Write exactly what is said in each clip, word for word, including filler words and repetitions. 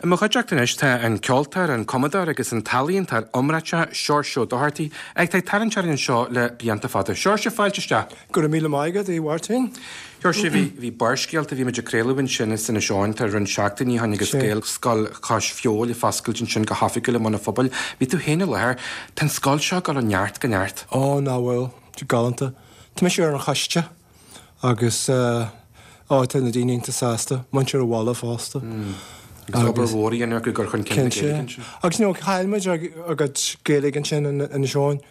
I mo chuideachta anois tá an ceoltóir, an cumadóir agus an t-ealaíontóir iomráiteach Seoirse Ó Dochartaigh atá ag tarraingt orainn anseo le blianta fada. Seoirse, fáilte isteach. Go raibh míle maith agat, a Mháirtín. Seoirse, bhí bhí Barrscéalta, bhí muid ag craoladh ansin as Inis Eoghain tá roinnt seachtainí ó shin agus Gaelscoil Chois Feabhail ag foscailt ansin go hoifigiúil i mbun an phobail. Bhí tú féin i láthair. Tá an scoil seo ag dul ó neart go neart. Ó, nach bhfuil, galánta. Tá mise ar an choiste agus ó tá na daoine iontach sásta, muintir an bhaile fosta. Agus obair mhór á dhéanamh acu ag cur chun cinn na Gaeilge ansin. Agus you know, chaill muid ár gcuid Gaeilge ansin in Inis Eoghain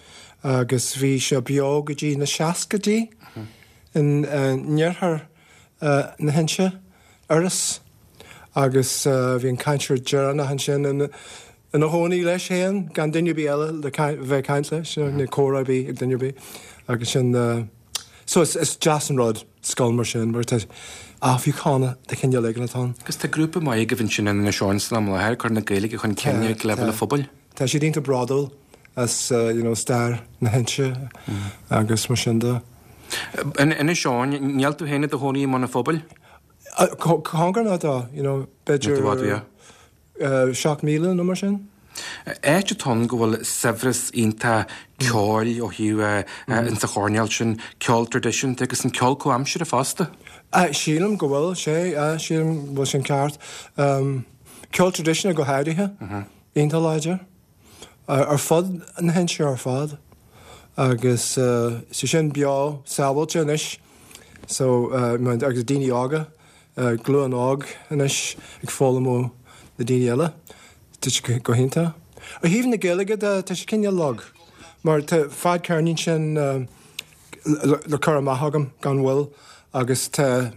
agus bhí sé beo go dtí na seascaidí in iarthar na hInse, Iorras, agus bhí an cainteoir deireanach ansin ina chónaí leis féin gan duine ar bith eile le bheith ag caint leis, nó comhrá ar bith ag duine ar bith agus sin so is is deas an rud scoil mar sin mar tá athbheochan de chineál éigin atá ann. Agus tá grúpa maith agaibh ansin in Inis Eoghain san am i láthair ag cur na Gaeilge chun cinn ag leibhéal an phobail. Tá siad iontach bródúil as you know stair na hInse agus mar sin de. In Inis Eoghain, níl tú féin i do chónaí i mbun an phobail? Cóngarach dó, you know, b'fhéidir seacht míle nó mar sin. Áit atá ann go bhfuil saibhreas iontach ceoil ó thaobh insa choirnéal sin, ceol traidisiúnta agus an ceol comhaimseartha fosta. Sílim go bhfuil sé, sílim go bhfuil sin ceart. Ceol traidisiúnta go háirithe, iontach láidir, ar fud na hInse ar fad agus sé sin beo sábháilte anois so agus daoine óga, glúin óg anois ag foghlaim ó na daoine eile. Tá sé go hiontach. Ó thaobh na Gaeilge de, tá sé cineál lag, mar tá fadcheirnín sin le cur amach agam gan mhoill agus tá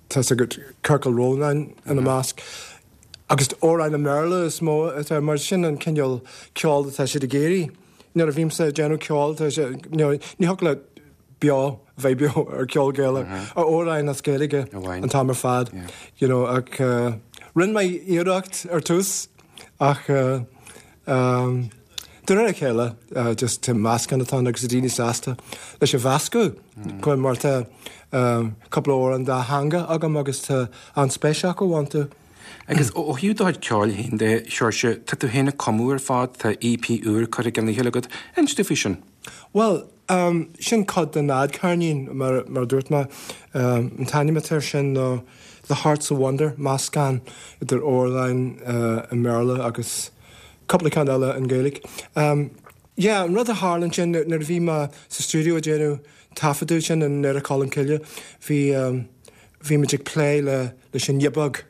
tá's agat Ciorcal Rónáin ina measc. Agus amhráin i mBéarla is mó atá, mar sin an cineál ceoil atá siad ag iarraidh. Nuair a bhímse ag déanamh ceoil, tá sé, ní thiocfadh leat beo, bheith beo ar ceol Gaelach, ar amhráin as Gaeilge an t-am ar fad, you know, ach rinne mé iarracht ar tús ach de réir a chéile just tá meascán atá ann agus tá daoine sásta leis an mheascadh mar tá cúpla amhrán dátheangach agam agus tá an-spéis acu iontu. Agus ó thaobh do chuid ceoil féin de, Seoirse, tá tú féin ag cumadh ar fad, tá EP úr curtha i gcionn a chéile agat. Inis domh faoi sin. Bhuel, sin cuid den fhadcheirnín, mar a dúirt mé. An t-ainm atá air sin ná The Heart's a Wonder, meascán idir amhráin i mBéarla agus cúpla ceann eile i nGaeilge. Yeah, an rud a tharla ansin nuair a bhí mé sa stiúideo ag déanamh taifeadadh sin i nDoire Cholm Cille, bhí bhí muid ag plé le leis an ghiobóg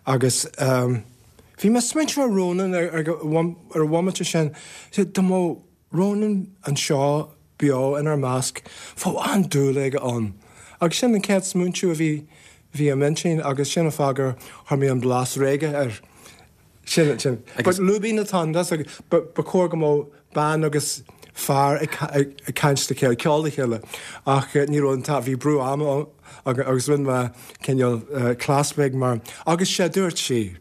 agus bhí mé ag smaointiú ar Rónán ar ar an bhomaite sin, dá mbeadh Rónán anseo beo inár measc, bheadh an-dúil aige ann. Agus sin an chéad smaointiú a bhí bhí i m'intinn agus sin an fáth gur chuir mé an blas reggae air. Sin, sin. But lúibín atá ann, that's like, ba ba chóir go mbeadh bean agus fear ag ag caint le chéile, ceol le chéile ach ní raibh an t-am, bhí brú ama agus rinne mé cineál cleas beag mar agus sé dúirt sí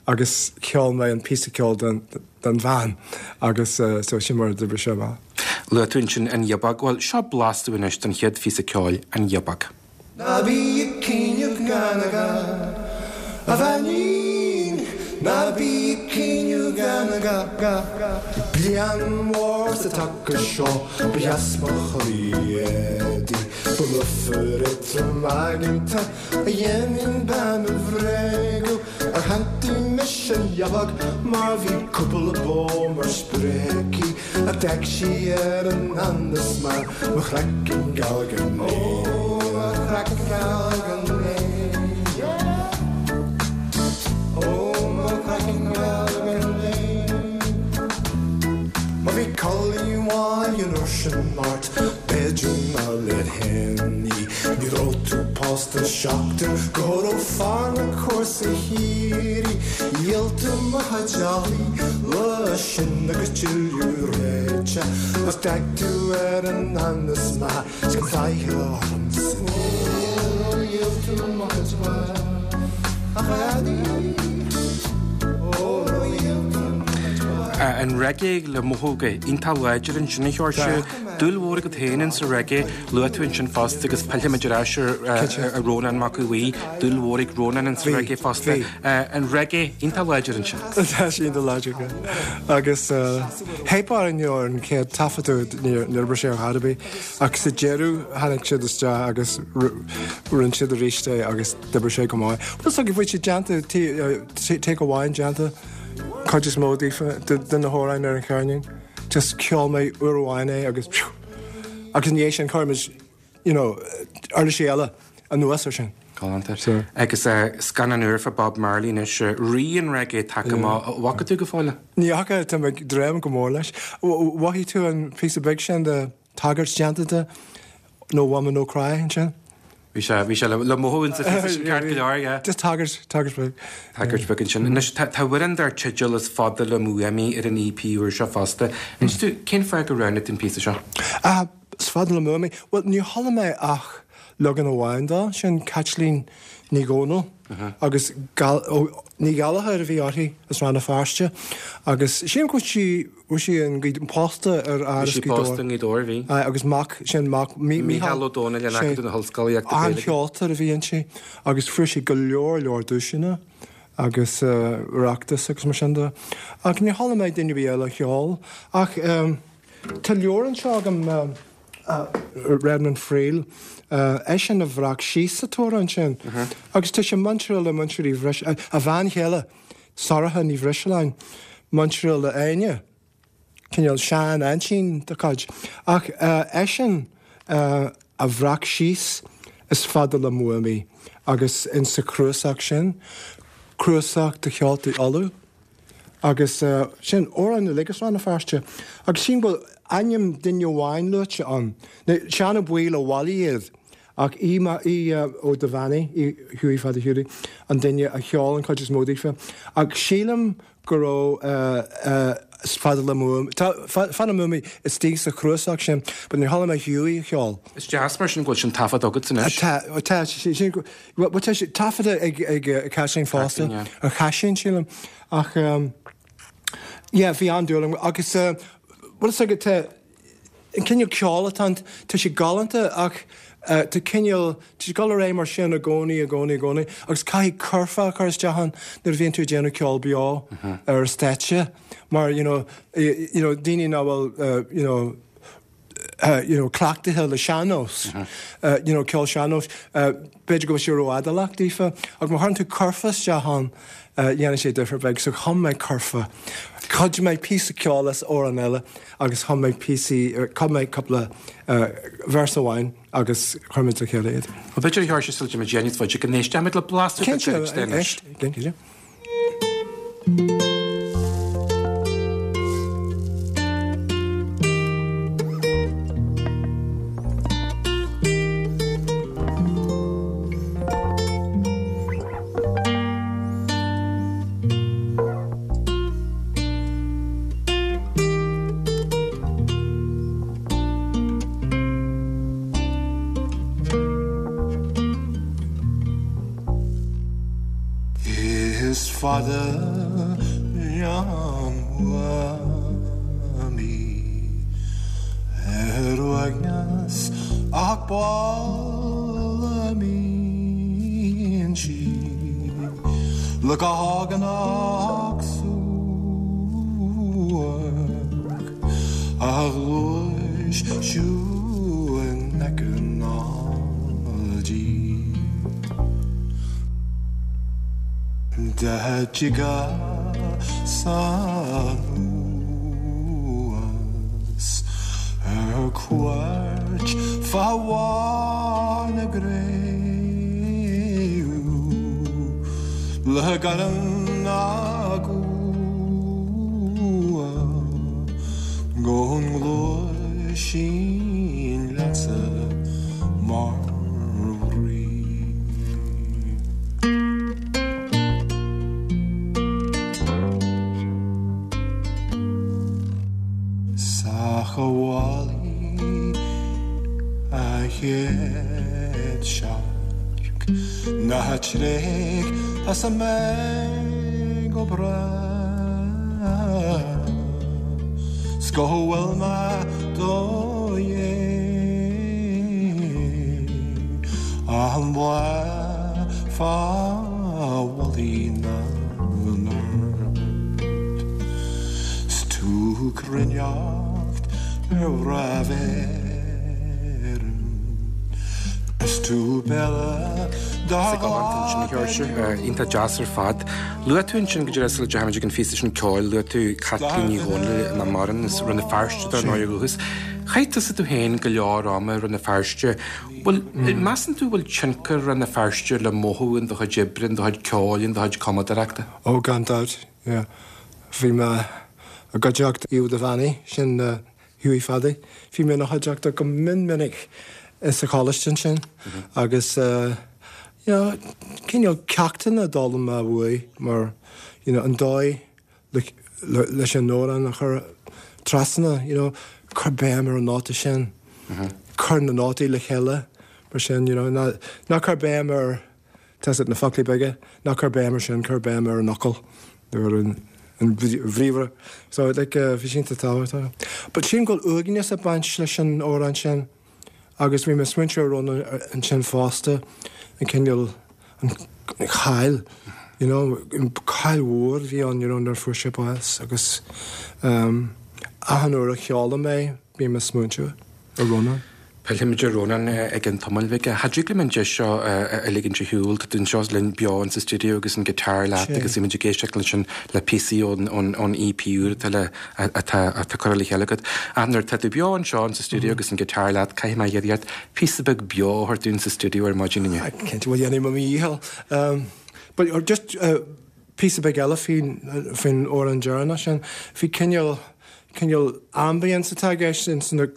agus cheol mé an píosa ceoil don don bhean agus so sin mar a d'oibrigh sé amach. Luaigh tú ansin an ghiobóg, bhuel seo blas dúinn anois den chéad phíosa ceoil, An Ghiobóg. Ná bí ag caoineadh gan a gha, a bheainín, ná bí ag caoineadh gan a gha, gha. Bliain mhór sa taca seo ba dheas mo chroí éadaí, ba lufar é trom aigeanta a dhéanann bean a bhréagadh. Ar shantaigh mise an ghiobóg mar bhí cúpla bó mar spré aici ach d'fhéach sí ar an andas mar mo chraiceann geal gan é. Ó mo chraiceann geal gan é. Ó mo chraiceann geal gan é. Má bhí culaith mhaith an uair sin ort b'fhéidir nár leat féin í. Ní raibh tú pósta seachtain go raibh fear na cúrsa thiar í. Dhíol tú mo chuid eallaí lá sin agus tuilleadh ráite agus d'fhéach tú ar an anas maith 's gan faiche ormsa. Ó dhíol tú mo chuid a dhaidí. Ó dhíol tú mo chuid. An reggae le mothú go iontach láidir ansin a Sheoirse. Dúil mhór agat féin in sa reggae, luaigh tú ansin fosta agus pillfimid ar ais ar Rónán Mac Aodha Bhuí, dúil mhór ag Rónán in sa reggae fosta. An reggae iontach láidir ansin. Tá sé iontach láidir, agus theip orainn ar an chéad taifeadadh níor oibrigh sé ar chor ar bith ach sa deireadh tháinig siad isteach agus rinne siad arís é agus d'oibrigh sé go maith. Bhuel so bhí sé déanta take amháin déanta cuid is mó díofa de na hamhráin ar an cheirnín. Just cheol mé uair amháin é agus agus ní sin chuir you know, uirlisí eile anuas ar sin. Galánta. Agus scannán úr fá Bob Marley anois rí an reggae tagtha amach bhfaca tú go fóill? Ní fhaca tá mé ag dréim go mór leis. Mhothaigh tú an píosa beag sin de tagairt déanta de No Woman No Cry ansin? Bhí sé bhí sé le mothú in sa sin ceart go leor, yeah. Just tagairt tagairt beag. Tagairt beag ansin. Anois tá amhrán dar teideal Is Fada Liom Uaim Í ar an EP úr seo fosta. Inis tú cén fáth gur roghnaigh tú an píosa seo? Ah, Is Fada Liom Uaim Í. Well ní chuala mé ach leagan amháin dó, sin Caitlín Ní Dhomhnaill agus Ní Ghallchóir a bhí uirthi as Rann na Feirste agus sílim go bhfuil sí bhfuil sí in pósta ar fhear Bhí sí pósta i nGaoth Dobhair, bhí. Agus mac, sin mac Mícheál Ó Domhnaill in Acadamh na hOllscolaíochta Gaeilge. An-cheoltóir a bhí inti agus fuair sí go leor leor duaiseanna agus Oireachtas agus mar sin de. Ach ní chuala mé duine ar bith eile a cheol ach tá leabhar anseo agam Redmond Friel, eisean a bhreac síos an t-amhrán sin. Agus tá sé muinteartha le muintir Uí Bhris, a bhean chéile, Sorcha Ní Bhrisealáin, muinteartha le Áine, cineál sean-aintín dá cuid. Ach eisean a bhreac síos Is fada liom uaim í agus in sa chnuasach sin, cnuasach de cheoltaí Uladh. Agus sin amhrán uilig as Rann na Feirste. Agus sílim go bhfuil ainm duine amháin luaite ann. Now, Seán Ó Baoill a bhailigh iad, ach Aodh Aodh Ó Duibheannaigh, Aodh Hughie Pheaidí Hiúdaí, an duine a cheol an chuid is mó daofa. Ach sílim go raibh Is fada liom uaim, tá Fada liom uaim í istigh sa chnuasach sin, but níor chuala mé Hughie a cheol. Is deas mar sin go bhfuil sin taifeadta agat anois. Tá, tá, sin, bhuel tá sé taifeadta ag ag Caitlín fosta, ar Chaiseán sílim. Ach yeah, bhí an-dúil agam agus bhfuil fhios agat tá an cineál ceoil atá ann, tá sé galánta ach tá cineál, tá sé ag dul ar aghaidh mar sin i gcónaí, i gcónaí, i gcónaí agus caithfidh curfá a chur isteach ann nuair a bhíonn tú ag déanamh ceol beo ar stáitse mar you know, you know, daoine nach bhfuil you know, you know, cleachtaithe le sean-nós, you know, ceol sean-nóis, b'fhéidir go bhfuil sé rófhadálach daofa, ach má chuireann tú curfá isteach ann, dhéanann sé difear beag. So chum mé curfá. Chuir mé píosa ceoil as amhrán eile agus chum mé píosaí, chum mé cúpla véarsa amháin agus chuir muid le chéile iad. Bhuel, b'fhéidir a Sheoirse sula dtéimid níos faide go n-éistfimid le blas beag de anois. Cinnte, éist, cinnte. Is fada liom uaim í ar uaigneas ach b'áil liom sí le go haganach suairc a ghluais siúin aice ná dí. D'eitigheas anuas ar cuairt fá bharr na gcraobh le gairm na gcumha go ngluaisinn leatsa mar rí. Sa chabhálaí a chéad searc ná tréig as a mbeidh go brách. go bhfuil mé do dhiaidh an bhláth fá mhullaigh na ngort 's tú cruinneacht ar mhnáibh Éireann is tú Bella Sa galánta ansin, a Sheoirse, iontach deas ar fad. Luaigh tú ansin go díreach sula dteachaigh muid ag an phíosa sin ceoil, luaigh tú Caitlín Ní Dhomhnaill nach maireann as Rann na Feirste dar ndóigh ó dhúchas. Chaith tusa tú féin go leor ama i Rann na Feirste. Bhfuil, measann tú bhfuil tionchar Rann na Feirste le mothú in do chuid oibre, in do chuid ceoil, in do chuid cumadóireachta? Ó, gan dabht, yeah. Bhí mé i gcuideachta Aodh Devaney, sin Hughie Phadaí. Bhí mé ina chuideachta go mion minic sa choláiste ansin agus you know, cineál ceachtanna a d'fhoghlaim mé uaidh mar you know, an dóigh le, le, leis an amhrán a chur trasna, you know, cuir béim ar an nóta sin, cuir na nótaí le chéile mar sin, you know, ná, ná cuir béim ar tá na foclaí beaga, ná cuir béim ar sin, cuir béim ar an fhocal nó ar an an bhriathra. So like, uh, bhí sin tábhachtach. But sin go bhfuil uaigneas ag baint leis an amhrán sin agus bhí mé smaointiú ar Rónán ansin fosta an cineál an chaill you know, an caill mhór bhí ann you know, nuair fuair sé bás agus um, achan uair a cheolaim é bím ag smaointiú ar Rónán. Pillfimid ar Rónán ag an tamall bheag. Cha dtig liom an deis seo a ligint ar shiúl, tá tú anseo linn beo in sa stiúideo agus an guitar leat agus bhí muid ag éisteacht leis sin le píosaí ón ón ón EP úr atá le atá atá curtha le chéile agat. Ach nuair atá tú beo anseo in sa stiúideo agus an guitar leat, caithfidh mé a iarraidh ort píosa beag beo a thabhairt dúinn sa stiúideo ar maidin inniu. Cinnte bhfuil dhéanfaidh mé mo dhícheall. Um, but or just uh, píosa beag eile faoin faoin amhrán deireanach sin, bhí cineál cineál ambience atá i gceist ins na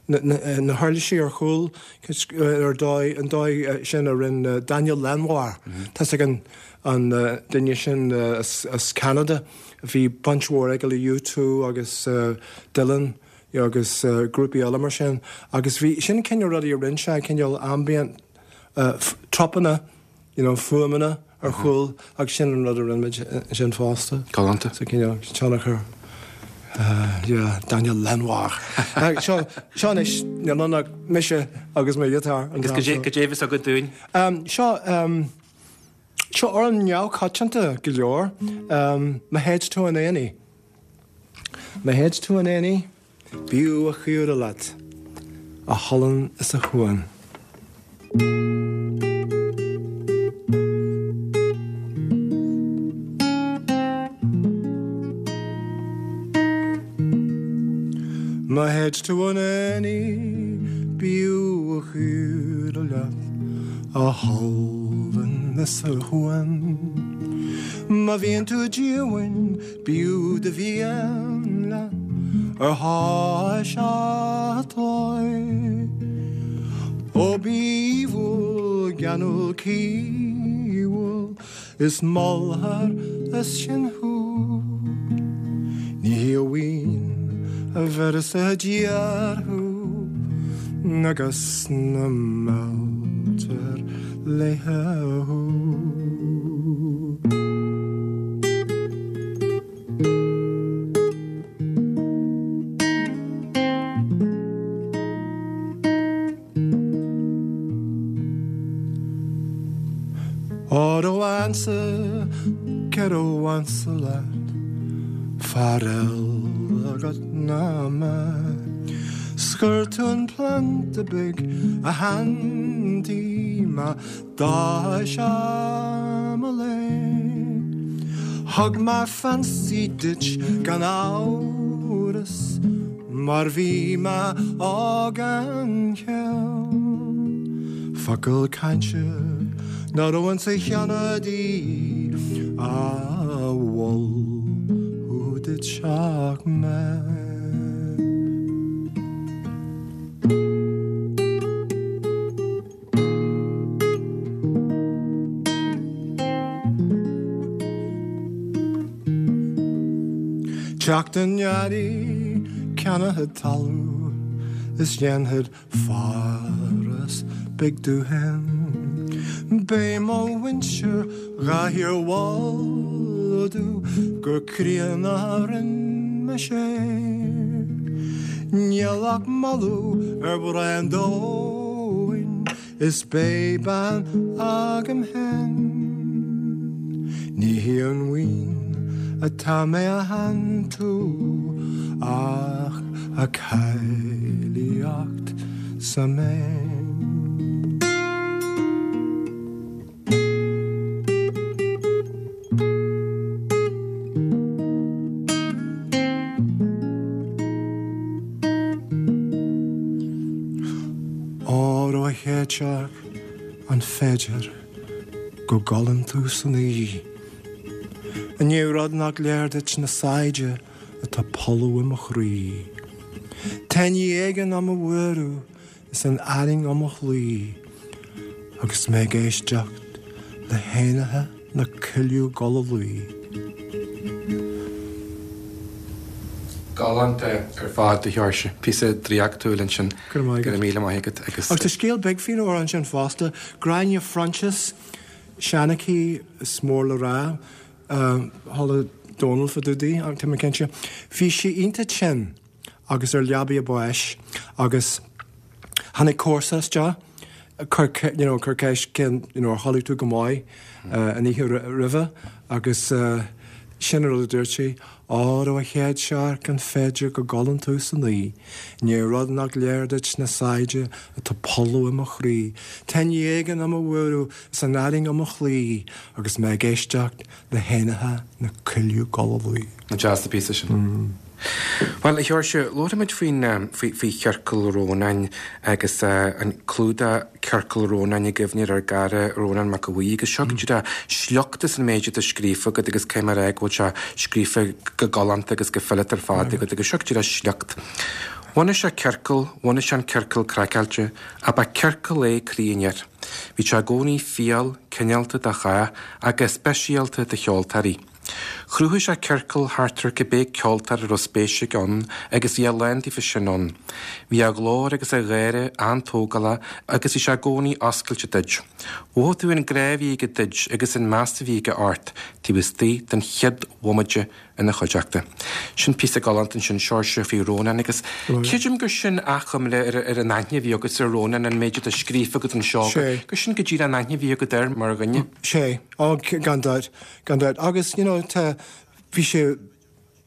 na, na, na huirlisí ar chúl ar dóigh an dóigh sin a rinne Daniel Lanois. Tá ag an an uh, duine sin uh, as, as Canada. Bhí baint mhór aige le U two agus uh, Dylan agus uh, grúpaí eile mar sin. Agus bhí sin cineál rudaí a rinne sé cineál ambient uh, tropanna, you know, fuaimeanna ar chúl agus sin an rud a rinne muid sin fosta. Galánta. So cineál tionchar Uh, yeah, Daniel Lanois. uh, seo seo anois níl ann ach mise agus mo ghiotár. Agus go dé go dé agat dúinn. Um, seo um, seo amhrán neamhchoitianta go leor. Um, má théid tú chun aonaigh. Má théid tú chun aonaigh, b'fhiú a chaora leat, a sholann is a shuan. Má théid tú chun aonaigh, b'fhiú a chaora leat, a sholann is a shuan. Má bhíonn tú díomhaoin, b'fhiú do mhian leat, ar thois an toigh. Ó bí aoibhiúil, geanúil, caoithiúil, is molfar as sin thú. Ní hí amháin a bheireas i dtír thú, agus na mealltar léi thú. Ó do bheansa, céard a bhainfeadh leat, fear eile agat ná mé. 'S chuir tú an planda beag a shantaigh mé d'áis mo léith. Thug mé fancy duit gan amhras, mar bhí mé óg gan chiall. Focal cainte nach raibh insa cheanadaí a mhol duit ach mé. Teacht an earraigh ceannóchad talamh is dhéanfad foras beag domh féin. Beidh mo mhuintir dhá shíormholadh gur críonna a rinne mise é. Níl ach moladh ar bhreá an domhain is beidh bean agam féin. Ní hí an mhaoin atá mé a shantú ach a cáilíocht 's a méin. Óró a chéadsearc, an féidir go gcodlann tú san oíche? An é rud nach léir duit na saighde atá polladh i mo chroí? Tá ní éigin á mo bhualadh is an arraing á mo chloí, agus mé ag éisteacht le héanacha na coilleadh ag dul a luí. Galánta ar fad, a Sheoirse. Píosa draíochtúil ansin. Go raibh maith agat. Go raibh míle maith agat agus. Agus tá scéal beag faoin amhrán sin fosta. Gráinne Phroinsias, seanchaí is mór le rá, chuala Dónal fá dtaobh di, tá mé cinnte. Bhí sí iontach tinn agus ar leabaidh a báis agus tháinig comharsa isteach, chuir you know chuir ceist cén you know ar chodlaigh tú go maith an oíche roimhe agus sin an rud a dúirt sí, Óró a chéadsearc an féidir go gcodlann tú san oíche, ní rud nach léir duit na saighde atá polladh i mo chroí, tá ní éigin á mo bhualadh is an arraing á mo chloí agus mé ag éisteacht le héanacha na coilleadh ag dul a luí. An deas an píosa sin. Bhuel, a Sheoirse, labharfaimid faoin, faoi, faoi Chiorcal Rónáin agus an clúdach Ciorcal Rónáin i gcuimhne ar ár gcara Rónán Mac Aodha Bhuí agus seo go díreach sliocht as an méid atá scríofa agat agus caithfidh mé a rá go bhfuil sé scríofa go galánta agus go fileata ar fad agat agus seo go díreach sliocht. Bhunaigh sé ciorcal, bhunaigh sé an ciorcal craiceáilte, ach ba ciorcal é croí an fhir. Bhí sé i gcónaí fial, cineálta do chách ach go speisialta do cheoltóirí. Chruthaigh sé ciorcal thart ar cibé ceoltóir a raibh spéis aige ann agus bhí a lán díofa sin ann. Bhí a ghlór agus a gháire an-tógálach agus bhí sé i gcónaí oscailte duit. Mhothaigh tú an grá a bhí aige duit agus an meas a bhí aige ort taobh istigh den chéad bhomaite ina chuideachta. Sin píosa galánta ansin, Seoirse, faoi Rónán agus creidim gur sin achoimre ar ar an aithne a bhí agat ar Rónán, an méid atá scríofa agat anseo, gur sin go díreach an aithne a bhí agat air mar dhuine. Sea, ó, gan dabht, gan dabht. Agus, you know, tá, bhí sé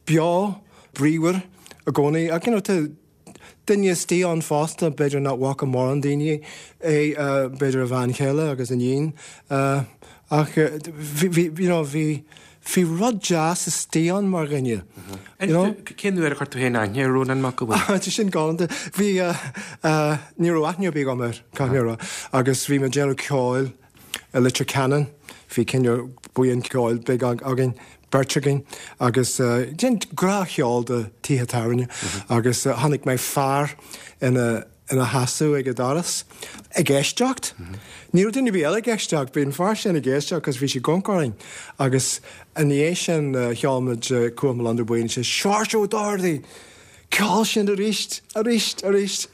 beo, bríomhar i gcónaí ach, you know, tá duine istigh ann fosta, b'fhéidir nach bhfaca mórán daoine é, b'fhéidir a bhean chéile agus a iníon, ach bhí, bhí, you know, bhí, bhí rud deas istigh ann mar dhuine, you know. Cén uair a chuir tú féin aithne ar Rónán Mac Aodha Bhuí? Tá sin galánta. Bhí, ní raibh aithne ar bith agam air, caithfidh mé a rá, agus bhí mé ag déanamh ceoil i Leitir Ceanainn, bhí cineál buíon ceoil beag againn, beirt againn, agus déan gnáthcheol do tithe tábhairne, agus chonaic mé fear ina ina sheasamh ag an doras ag éisteacht. Ní raibh duine ar bith eile ag éisteacht, bhí an fear sin ag éisteacht agus bhí sé ag amharc orainn agus ina dhiaidh sin cheol muid Cuach mo Londubh Buí agus sé Seoirse Ó Dochartaigh! Ceol sin arís, arís, arís!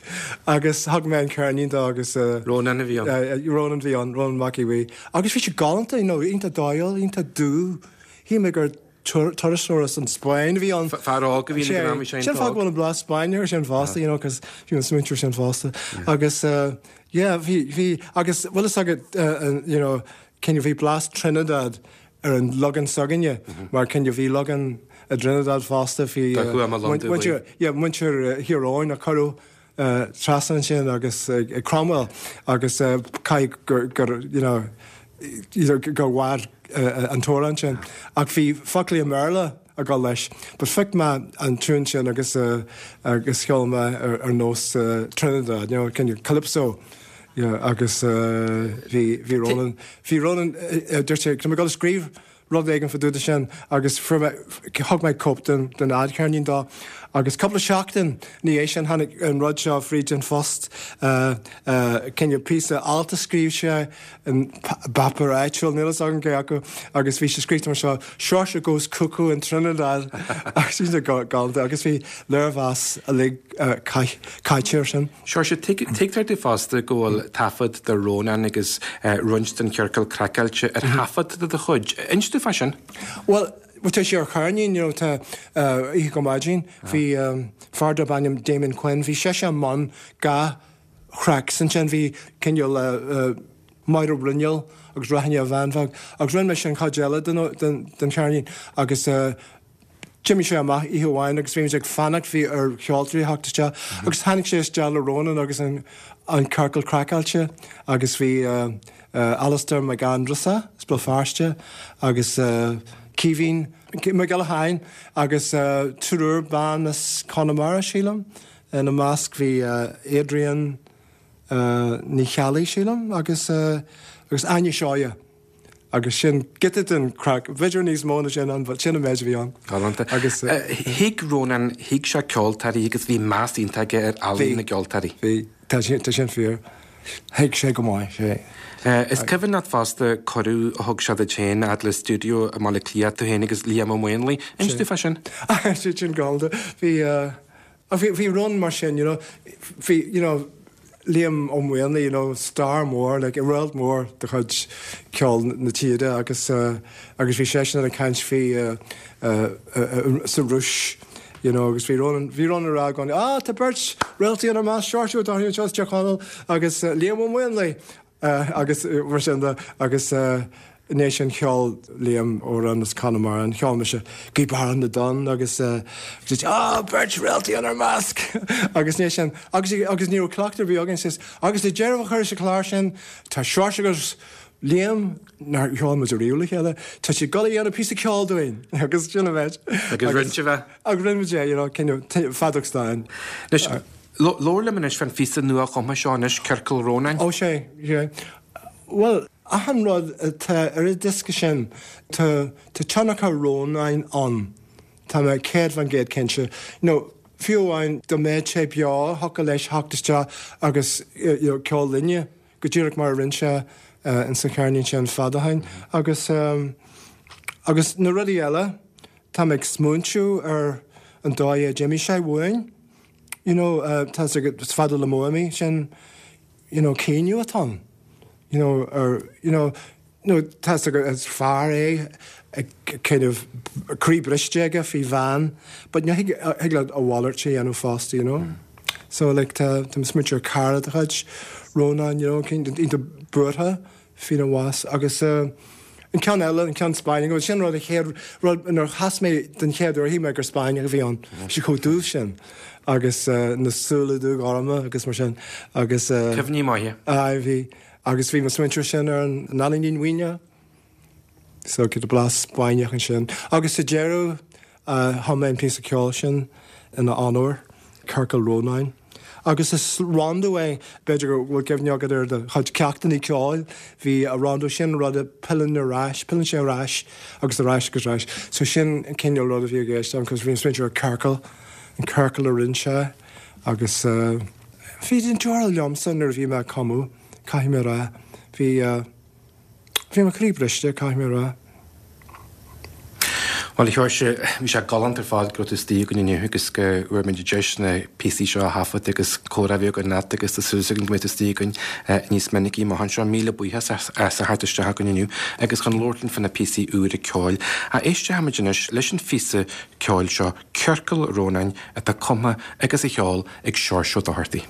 Agus thug mé an ceirnín dó agus. Rónán a bhí ann. Rónán a bhí ann, Rónán Mac Aodha Bhuí. Agus bhí sé galánta, you know, iontach dóighiúil, iontach dubh. Shíl mé gur turasóir as an Spáinn a bhí ann. Fear óg a bhí ann ag an am, bhí sé Sin fáth go bhfuil an blas Spáinne air sin fosta, you know, cos bhí an smaointe sin fosta. Agus yeah, bhí, bhí, agus bhfuil fhios agat, you know, cineál bhí blas Trinidad ar an leagan s'againne, mar cineál bhí leagan i dTrinidad fosta, bhí muintir, yeah, muintir Thír Eoghain a cuireadh trasna ansin agus ag Cromwell agus caithfidh gur, gur, you know, gur mhair an t-amhrán sin. Ach bhí foclaí i mBéarla ag dul leis. But phioc mé an tiún sin agus agus cheol mé ar ar nós Trinidad, you know, cineál calypso. Yeah, agus bhí bhí Ronan, bhí Ronan, dúirt sé, tá mé ag dul a scríobh rud éigin fá dtaobh de sin agus fuair mé, thug mé cóip den den fhadcheirnín dó agus cúpla seachtain ina dhiaidh sin tháinig an rud seo fríd an phost, cineál píosa alt a scríobh sé in bpáipéar áitiúil, níl fhios agam cé acu, agus bhí sé scríte mar seo, Seoirse goes cuckoo in Trinidad agus bhí sé galánta agus bhí léirmheas uilig caite air sin. Seoirse, tuigtear domh fosta go bhfuil taifead de Rónán agus roinnt den Chiorcal Craiceáilte ar thaifead de do chuid. Inis domh fá sin. Bhuel, Bhuel tá sé ar cheirnín, you know, tá Oíche go Maidin, bhí fear darb ainm Damien Quinn, bhí seisean i mbun dhá thracks ansin, bhí cineál Máire Bruinneall agus Raithne a Bhean Bheag agus rinne mise an chuid eile den cheirnín agus d'imigh sé amach oíche amháin agus bhí muid ag fanacht, bhí ar cheoltóirí a theacht isteach agus tháinig sé isteach le Rónán agus an an Ciorcal Craiceáilte agus bhí Alastair Mac Aindreasa as Béal Feirste agus Caoimhín Mac Giolla Sheáin agus triúr ban as Conamara, sílim. Ina measc bhí Adrian Ní Cheallaigh, sílim, agus agus Áine Seoighe. Agus sin giota den chraic, b'fhéidir níos mó ná sin ann, but sin an méid a bhí ann. Galánta. Agus thuig Rónán, thuig sé ceoltóirí agus bhí meas iontach aige ar ealaín na gceoltóirí. Bhí, tá sin, tá sin fíor. Thuig sé go maith, sé. Is cuimhin leat fosta cuireadh a thug sé duit féin a fhad le stiúideo i mBaile Átha Cliath, tú féin agus Liam Ó Maonlaí. Inis dúinn fá sin. Sin sin galánta. Bhí, bhí, bhí Ron mar sin, you know, bhí, you know, Liam Ó Maonlaí, you know, star mór, like, réalt mór de chuid ceol na tíre agus agus bhí seisean ag caint faoi sa Rúis, you know, agus bhí Ronan, bhí Ronan ag rá i gcónaí, ah, tá beirt réaltaí inár measc, Seoirse Ó Dochartaigh anseo as Tír Chonaill agus Liam Ó Maonlaí agus mar sin de agus I ndiaidh sin cheol Liam amhrán as Conamara, and cheol mise Gaoth Beara na dTonn agus dúirt ah beirt réaltaí inár measc! agus i ndiaidh sin agus agus ní raibh cleachtadh ar bith againn says agus le deireadh a chur leis an chlár sin tá Seoirse agus Liam nár cheol muid ariamh le chéile tá siad ag dul a dhéanamh píosa ceoil dúinn agus sin an méid agus rinne sibh é agus rinne muid é you know cineál feadóg stáin. Anois labhair liom anois fán phíosa nua-chumtha seo anois Ciorcal Rónáin. Ó sé, sé. Bhuel, achan rud atá ar an diosca sin, tá tá tionchar Rónáin ann. Tá mé céad faoin gcéad cinnte. You know, fiú amháin dá mbeadh sé beo, thiocfadh leis theacht isteach agus you know, ceol linne, go díreach mar a rinne sé ins an cheirnín sin fad ó shin. Agus agus na rudaí eile, tá mé ag smaointiú ar an dóigh a d'imigh sé uainn. You know, tá 's agat, is fada le m'uaim, sin you know, caoineadh atá ann. You know, ar, you know, nó tá 's agat is fear é ag kind of croí briste aige faoi bhean, but ní thig, thig leat a mhalairt a dhéanamh fosta, you know. So like tá, tá mé ag smaointiú ar cara de chuid Rónán, you know, iontach buartha faoina bhás agus eh, an ceann eile, an ceann Spáinneach, sin rud a chéad rud nuair a chas mé den chéad uair shíl mé gur Spáinneach a bhí ann. Bhí sé chomh dubh sin agus eh, na súile dúghorma agus mar sin agus eh, Cuimhní maithe. Aye, bhí. Agus bhí mé ag smaointiú sin ar an Ealaín Mhaoine. So giota blas Spáinneach ansin. Agus sa deireadh chum mé an píosa ceoil sin ina onóir, Ciorcal Rónáin. Agus is rondo é, b'fhéidir go bhfuil cuimhne agat ar do chuid ceachtanna ceoil, bhí a rondo sin rud a pilleann ar ais, pilleann sé ar ais agus ar ais agus ar ais. So sin an cineál rud a bhí i gceist agam, cos bhí mé ag smaointiú ar ciorcal, an ciorcal a rinne sé agus bhí an deora liomsa nuair a bhí mé ag cumadh. Caithfidh mé a rá, bhí, bhí mo chroí briste, caithfidh mé a rá. Bhuel, a Sheoirse, bhí sé galánta ar fad go raibh tú istigh againn inniu agus go bhfuair muid an deis na píosaí seo a thaifead agus comhrá a bheith againn leat agus tá súil againn go mbeidh tú istigh againn níos minicí amach anseo. Míle buíochas as a theacht isteach againn inniu agus chun labhairt linn fá na píosaí úra ceoil. Éistfimid anois leis an phíosa ceoil seo, Ciorcal Rónáin, atá cumtha agus á cheol ag Seoirse Ó Dochartaigh.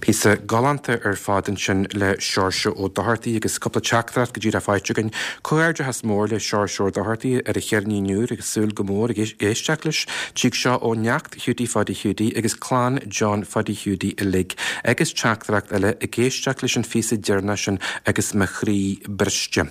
Píosa galánta ar fad ansin le Seoirse Ó Dochartaigh agus cúpla teachtaireacht go díreach faighte againn. Comhghairdeachas mór le Seoirse Ó Dochartaigh ar a cheirnín úr agus súil go mór ag éisteacht leis. Tig seo ó neacht Hiúdaí Pháidí Hiúdaí agus clann John Pháidí Hiúdaí uilig agus teachtaireacht eile ag éisteacht leis an phíosa deireanach sin agus mo chroí briste.